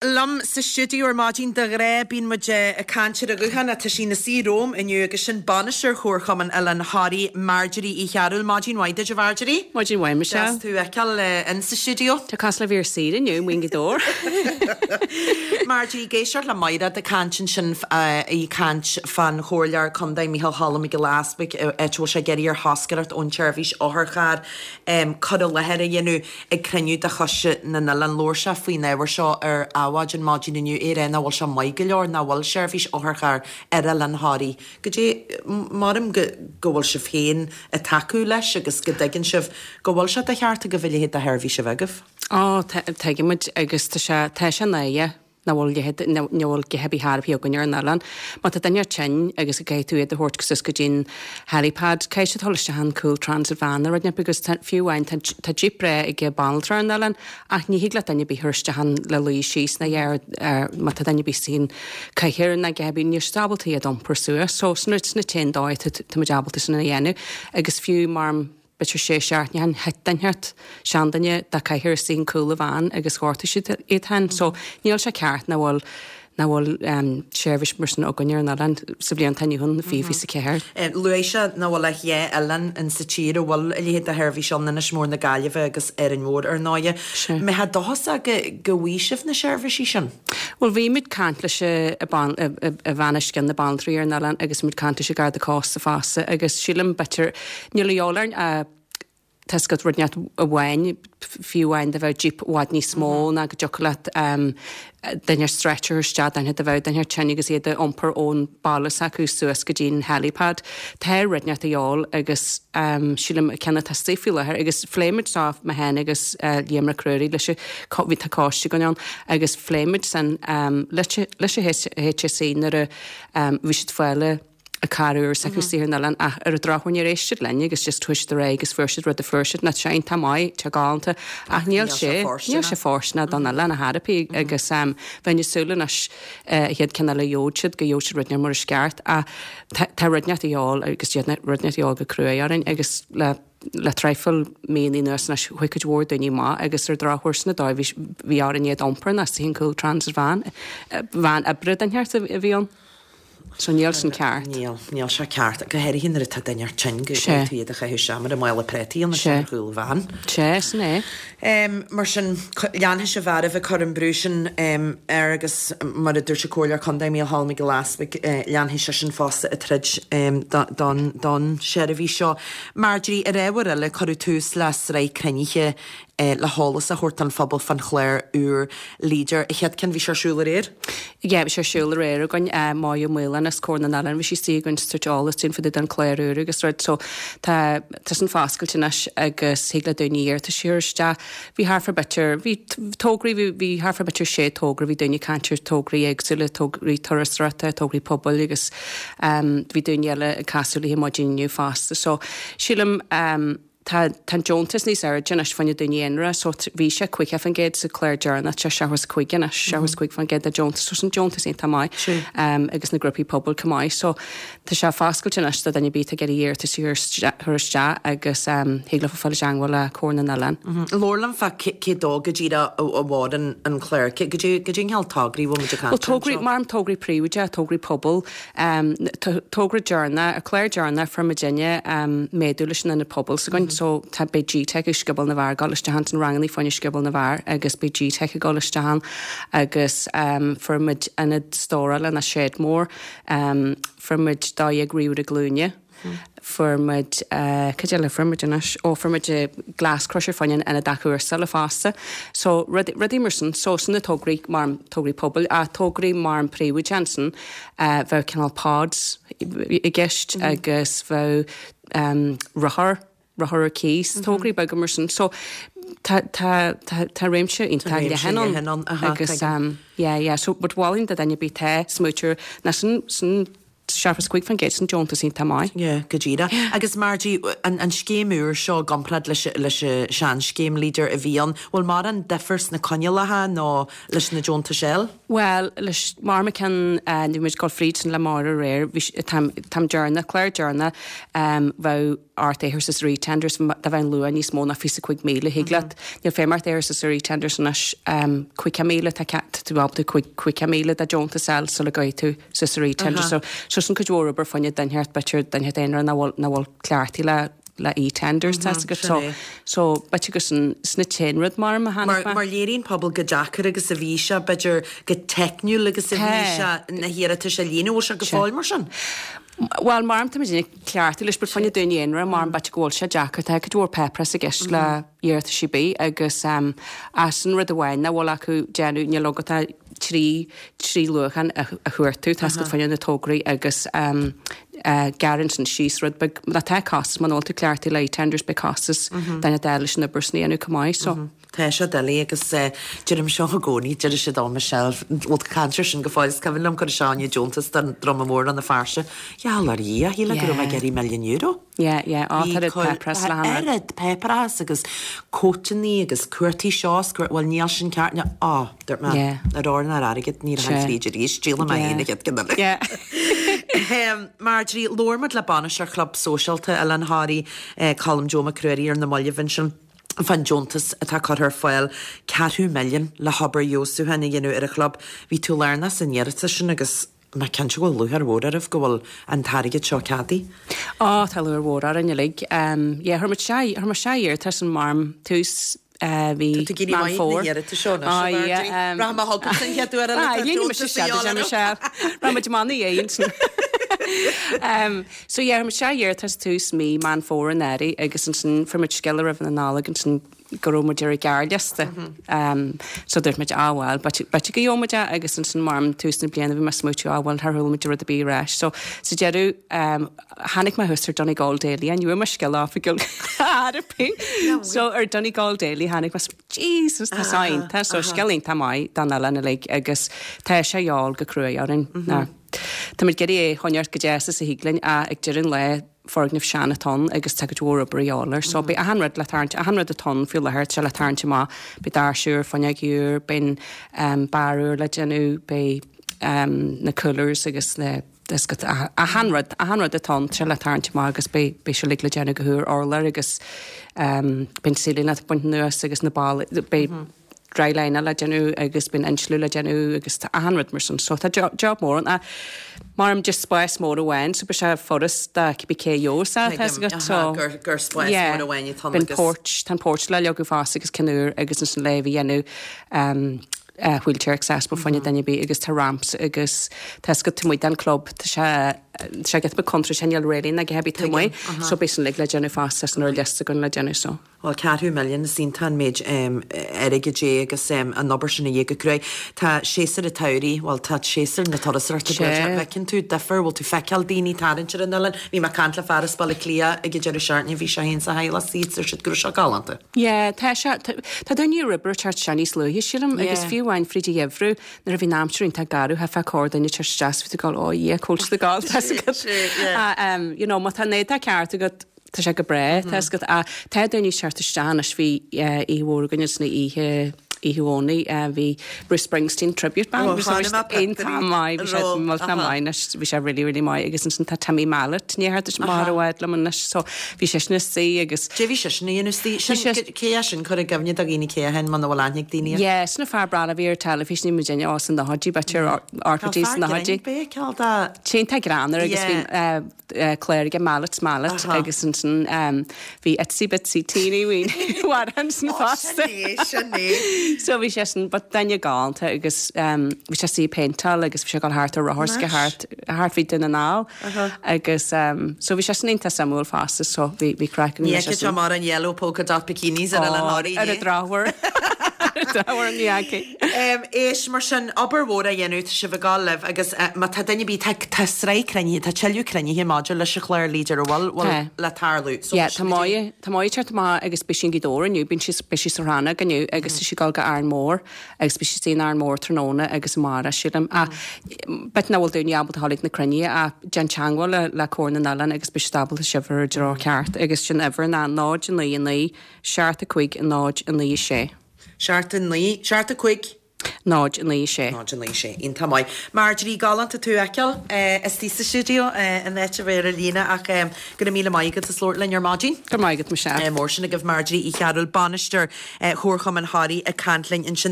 Liom sa stiúideo ar maidin de ghnáth bíonn muid ag caint ar an ghuthán ach tá sí ina suí romham inniu agus sin Bainisteoir Chomharchumann Oileán Thoraí, Marjorie Uí Chearúil. Maidin mhaith duit a Mharjorie. Maidin mhaith Michelle. Deas tú a fheiceáil in sa stiúideo. Tá cosúil le bheith ar saoire inniu, amuigh i nGaoth Dobhair. Marjorie, ag éisteacht le Mairéad ag caint ansin, í ag caint fán Chomhairleoir Contae Micheál Cholm Mac Giolla Easbuig, áit a bhfuil sé ag iarraidh ar thoscaireacht ón tseirbhís otharcharr cur i láthair a dhéanamh Ag cruinniú de Choiste na nOileán labhair sé faoin ábhar seo ar Adhmhaidin maidin inniu, é ag rá nach bhfuil sé maith go leor nach bhfuil seirbhís otharchairr ar Oileán Thoraí. Goidé, maram go go bhfuil sibh féin ag tacú leis agus go dtuigeann sibh go bhfuil sé de cheart agaibh a leithéid de sheirbhís a bheith agaibh. Ó, tuigimid agus tá sé, tá sé náireach. nach bhfuil leithéid, nach bhfuil a dhath ar bith ar bith againn ar an oileán. Má tá duine tinn agus go gcaithfidh tú iad a thabhairt suas go dtí'n helipad, caithfidh siad dul isteach in cúl transit van nó rud inteacht because tá, fiú amháin, tá, tá jeep breá ag an banaltra ar an oileán ach ní thig leat duine ar bith a chur isteach ann le luí síos ná ar, ar, má tá duine ar bith sa cathaoir ná a dhath ar bith, níl siad ábalta iad a iompar suas. So, sin, sin an t-aon dóigh tá, tá muid ábalta sin a dhéanamh agus fiú mar, b'fhéidir sé seachtaine ó shin, thit duine inteacht, seanduine de cathaoir istigh in cúl an veain agus ghortaigh siad iad féin. So níl sé ceart nach bhfuil nach bhfuil seirbhís mar sin againn ar an oileán sa bhliain atá inniu ann, 2024. Luaigh sé nach bhfuil ach dhá oileán in sa tír a bhfuil a leithéid de sheirbhís ann, Inis Mór na Gaillimhe agus Árainn Mhór ar ndóighe. Mbeifeá dóchasach go go bhfaighidh sibh na seirbhísí sin? Bhuel bhí muid caint leis a bhean as cionn na banaltraí ar an oileán agus muid caint leis an Garda Cósta fosta agus sílim b'fhéidir Níl a dhíobháil orainn ach tá 's agat rud inteacht amháin, fiú amháin dá mbeadh jeep i bhfad níos mó ná go dtiocfadh leat duine ar stretcher isteach, duine dá mbeadh duine tinn agus iad a iompar ón baile s'acu suas go dtí an helipad. Tá rud inteacht a dhíobháil agus sílim an ceann atá istigh faoi láthair agus phléigh muid seo mé féin agus Liam Mac Ruairí leis an bhí tá coiste againn ann agus phléigh muid sin leis an HSE nuair a bhí siad fáil an carr úr s'acu istigh ar an oileán ach ar an drochuair níor éist siad linn agus just chuaigh siad ar aghaidh agus fuair siad rud a fuair siad. Tá sé iontach maith, tá galánta ach níl sé, níl sé fóirsteanach don oileán ar chor ar bith agus bheinn ag súil anois an chéad ceann eile a gheobhadh siad go gheobhadh siad rud inteacht mar is ceart ach tá rud inteacht a dhíobháil agus rud inteacht a dhíobháil go cruaidh orainn agus le le traidhfil míonna anuas anois chuaigh cuid mhór daoine amach agus ar an drochuair sin an dóigh bhí bhí orainn iad a iompar istigh in cúl transit van, van oibre den cheart a bhí ann. So níl sin ceart. Níl, níl sé ceart, go háirithe nuair atá duine tinn go gcaithfidh tú iad a chaitheamh isteach mar i mála préataí ann ar chúl an veain. Sea, sin é. Mar sin, leanfaidh sibh oraibh ag cur an brú sin air agus mar a dúirt an Comhairleoir Contae Micheál Cholm Mac Giolla Easbuig, leanfaidh seisean fosta ag troid don don seirbhís seo. Marjorie, ar ábhar eile, cuireadh tús le sraith cruinnithe le heolas a thabhairt don phobal fán chlár úr Leader. An chéad ceann, bhí sé ar siúl aréir? Yeah, bhí sé ar siúl aréir againn, Máire Maoláin as Comhar na nOileán, bhí sí istigh againn ag tabhairt eolas dúinn fá dtaobh den chlár úr agus rud. So tá, tá san foscailte anois agus thig le daoine iarratais a chur isteach. Bhí thart fá b'fhéidir, bhí tograí, bhí, bhí thart fá b'fhéidir sé togra, bhí daoine ag caint ar tograí éagsúla, tograí turasóireachta, tograí pobail agus bhí daoine eile ag casadh léi maidin inniu fosta. So sílim, Tá tá an deontas níos airde anois fá choinne daoine aonair so bhí sé 50% sa chlár deireanach, tá sé 75 anois, 75% de deontas, so sin deontas iontach maith agus na grúpaí pobail chomh maith. So tá sé foscailte anois do dhuine ar bith atá ag iarraidh iarratas a chur isteach agus thig leofa fáil i dteangmháil le Comhar na nOileán. Labhair liom fá cé dó go díreach a bhfóireann an clár, cé goidé an cineál tograí a bhfuil muid ag caint Bhuel tograí, anseo? mar tograí príobháideacha, tograí pobail, Togra deireanach, an clár deireanach fuair muidinne méadú leis an ionad pobail s'againn so tá beidh GTeic ag Scioból na bhFear ag dul isteach ann, sin rangannaí fá choinne Scioból na bhFear agus beidh GTeic ag dul isteach ann agus fuair muid ionad stórála ná shed mór, fuair muid 12 ríomhaire glúine, fuair muid cad eile a fuair muid anois? Ó fuair muid glass crusher fá choinne an ionad athchúrsála fosta. So rudaí mar sin, so sin na tograí mar tograí pobail ach tograí mar an príobháideach ansin bheadh cineál pods i gceist agus bheadh rothar, rothar ar cíos, tograí beaga mar sin. So tá tá tá tá réimse iontach leathan ann agus yeah yeah so but mholfainn do dhuine ar bith atá ag smaoitiú ná sin sin. 75% san deontas iontach maith. Yeah, go díreach. Agus Margie, an an scéim úr seo i gcomparáid leis leis an seanscéim Leader a bhí ann, bhfuil mórán difear sna coinníollacha nó leis na deontais eile? Bhuel, leis mar mo ceann, bhí muid ag dul fríd sin le Máire aréir, bhí, táim, táim deireanach, clár deireanach, bheadh ort é a chur suas ar eTenders, dá bheadh an luach níos mó ná 25,000, thig leat, níl feidhm ort é a chur suas ar eTenders anois, 50,000, tá tá tú ábalta 50,000 de deontas a fháil sula gcuirfidh tú suas ar eTenders. So, so sin cuid mhór obair fá choinne duine inteacht, b'fhéidir duine inteacht aonair nach bhfuil, nach bhfuil cleachtaithe le, le eTenders, tá 'fhios agat. So, so b'fhéidir gur sin, sin an t-aon rud mar a tháinig mé. Mar léiríonn pobal chomh deacair agus a bhí sé, b'fhéidir chomh teicniúil agus a bhí sé na hiarratais a líonadh, bhfuil sé go fóill mar sin? Bhuel, mar tá muid ag cleachtadh leis, but fá choinne daoine aonair, mar b'fhéidir go bhfuil sé deacair, tá cuid mhór páipéarachas i gceist le iarratais ar bith agus as an rud amháin nach bhfuil acu déanamh, níl agat ach 3, 3 luachan a chuartú, tá 'fhios agat fá choinne na tograí agus gearrann sin síos rud beag, má tá costas, muna bhfuil tú cleachtaithe le eTenders beidh costas duine d'fháil leis an obair sin a dhéanamh chomh maith, so. Tá sé doiligh agus deirim seo i gcónaí, deir siad ó Michelle, bhfuil tú ag caint air sin go fóill, is cuimhin liom cur isteach fá choinne deontas don Droma Mór do na Fearsa. Gheall ar Dhia, shílfeá go raibh mé ag iarraidh milliún euro. Yeah, yeah, á, tá oiread páipéarachas le han oiread páipéarachas agus cóipeanna agus cuartaí seo is cuart, bhuel níl sin ceart, níl, á, dúirt mé, Yeah. ar ór ná ar airgead, ní rachainn fríd arís, díolfaidh mé féin an chéad ceann eile. Yeah. Marjorie, labhair muid le bainisteoir Chlub Sóisialta Oileán Thoraí, Colm Joe Mac Ruairí ar na mallaibh ansin. fán deontas atá curtha ar fáil, ceathrú milliún le hobair fheabhsúcháin a dhéanamh ar an chlub. Bhí tú lárnach san iarratas sin agus mé cinnte go bhfuil lúcháir mhór oraibh go bhfuil an t-airgead seo ceadaithe. Á, tá lúcháir mhór orainn uilig. Yeah, chuir muid isteach, chuir muid isteach iarratas in mar tús mhí Tá tú ag éirí Meán maith Fómhair. na hiarratais seo anois, Á, a yeah, Mharjorie. Rachaidh mé chugat an chéad uair eile Á, tá dhéanfaidh mise deontas a isteach dhíobháil duit, orm. Michelle. Rachaidh muid amach ina dhiaidh ansin. So yeah, chuir muid isteach iarratas tús mí Meán Fómhair anuraidh agus ansin fuair muid scéala roimh na Nollag ansin go raibh muid ar an ghearrliosta. So dúirt muid, ah bhuel, b'fhéidir go gheobhaidh muid é agus ansin mar tús na bliana bhí mé ag smaoitiú, ah bhuel, char chuala muid rud ar bith ar ais. So sa deireadh tháinig mé thuas ar Donegal Daily, ní bhfuair mé scéala oifigiúil ar bith. So ar Donegal Daily tháinig mé, Jesus, tá seo iontach, so scéal iontach maith don oileán uilig agus tá sé a dhíobháil go cruaidh orainn. Táimid ag iarraidh é a choinneáilt chomh deas is a thig linn ach ag deireadh an lae foirgneamh sean atá ann agus tá cuid mhór obair a dhíobháil air. So beidh achan rud le tarraingt, achan rud atá ann faoi láthair, tá sé le tarraingt amach. Beidh doirse úr, fuinneog úr, beidh an beár úr le déanamh, beidh na coolers agus na achan rud, achan rud atá ann, tá sé le tarraingt amach agus beidh beidh sé uilig le déanamh go húr, urlár agus beidh an ceiling le baint anuas agus na ballaí, beidh drylining le déanamh agus beidh an insliú le déanamh agus tá achan rud mar sin so tá job mór ann ach mar just spás mór amháin so beidh sé furast do cibé cé a gheobhas é tá 'fhios agat so gur gur spás yeah mór amháin atá ann beidh an agus porch tá an porch le leagadh fosta agus ceann úr agus ansin le a dhéanamh um wheelchair accessible fá choinne duine ar bith agus tá ramps agus tá 'fhios agat taobh amuigh den club tá sé tá sé giota beag contúirteach níl railing ag a bith taobh amuigh so beidh sin uilig le déanamh fosta san ar liosta againn le déanamh so. Bhuel, ceathrú milliún, is iontach an méid airgid é agus an obair sin a dhéanamh go cruaidh. Tá séasúr an tsamhraidh, bhuel, tá séasúr na turasóireachta Sea. buailte. Bhfeiceann tú difear, bhfuil tú feiceáil daoine tarraingt ar an oileán? Bhí mé ag caint le fear as Baile Átha Cliath ag an deireadh seachtaine, bhí sé féin is a theaghlach istigh, dúirt siad go raibh sé galánta. Yeah, tá sé, tá daoine ar obair ag teacht isteach níos luaithe, sílim, agus Yeah. fiú amháin fríd an gheimhreadh, nuair a bhí an aimsir iontach garbh, chaithfeá corrdhuine ag teacht isteach is bhí tú ag gabháil, oh yeah, cá bhfuil siad ag gabháil, tá 'fhios agat. Sea, yeah. Ah, you know, má tá an éadach ceart agat, Tá sé go breá, tá 'fhios agat. Ach tá daoine ag teacht isteach anois, bhí oíche mhór againn ansin oíche, oíche Dhomhnaigh, bhí Bruce Springsteen tribute band, bhí sé iontach maith, bhí sé millteanach maith anois, bhí sé really, really maith agus ansin tá Timmy Mallett i ndiaidh theacht amach i bhfad liom anois, so bhí seisean istigh agus. Cé bhí seisean a dhéanamh istigh? Sin, cé é sin, cuir i gcuimhne do dhaoine cé é féin muna bhfuil aithne ag daoine air. Yeah, sin an fear breá a bhí ar teilifís, ní muidinne, ó, sna nóchaidí, b'fhéidir, ochtó 's nóchaidí. Tá fear grinn, b'fhéidir, dá. Sé iontach greannmhar agus bhí clár aige Mallett's Mallet agus ansin bhí Itsy Bitsy Teeny Weeny amhrán ansin fosta. Sin é, sin é. So bhí seisean, but duine galánta agus bhí sé istigh ag péinteáil agus bhí sé ag dul thart ar rothar 's thart, thart fríd Dún na nGall agus so bhí seisean iontach suimiúil fosta so bhí, bhí craic againn Ní leis fheicfidh sin. tú mórán yellow polka dot bikinis ar Oileán Thoraí, Ar an drochuair. Ní fhacaidh. Éist, mar sin, obair mhór á dhéanamh, tá sibh ag gabháil libh agus má tá duine ar bith, tá tá sraith cruinnithe, tá tuilleadh cruinnithe maidir leis an chlár Leader a bhfuil, bhfuil Tá. le tarlú. So, Yeah, tá Moya, tá Moya ag teacht amach agus beidh sí i nGaoth Dobhair inniu, bíonn sí, beidh sí sa rannóg inniu agus tá sí ag dul go Árainn Mhór agus beidh sí istigh in Árainn Mhór tráthnóna agus amárach, sílim. Ach b'fhéidir nach bhfuil daoine ábalta a ghabháil ag na cruinnithe ach déan teagmháil le, le Comhar na nOileán agus beidh siad ábalta sibh a chur i dtreo ceart agus sin uimhir ná 0 9 9 7 5 0 9 6. 7 9, 7 5. 0 9 6. 0 9 6. Iontach maith. Marjorie, galánta tú a fheiceáil istigh sa stiúideo in áit a bheith ar an líne ach go raibh míle maith agat as labhairt linn ar maidin. Go raibh maith agat, Michelle. Mór sin agaibh Marjorie Uí Chearúil, Bainisteoir Chomharchumann Thoraí ag caint linn ansin.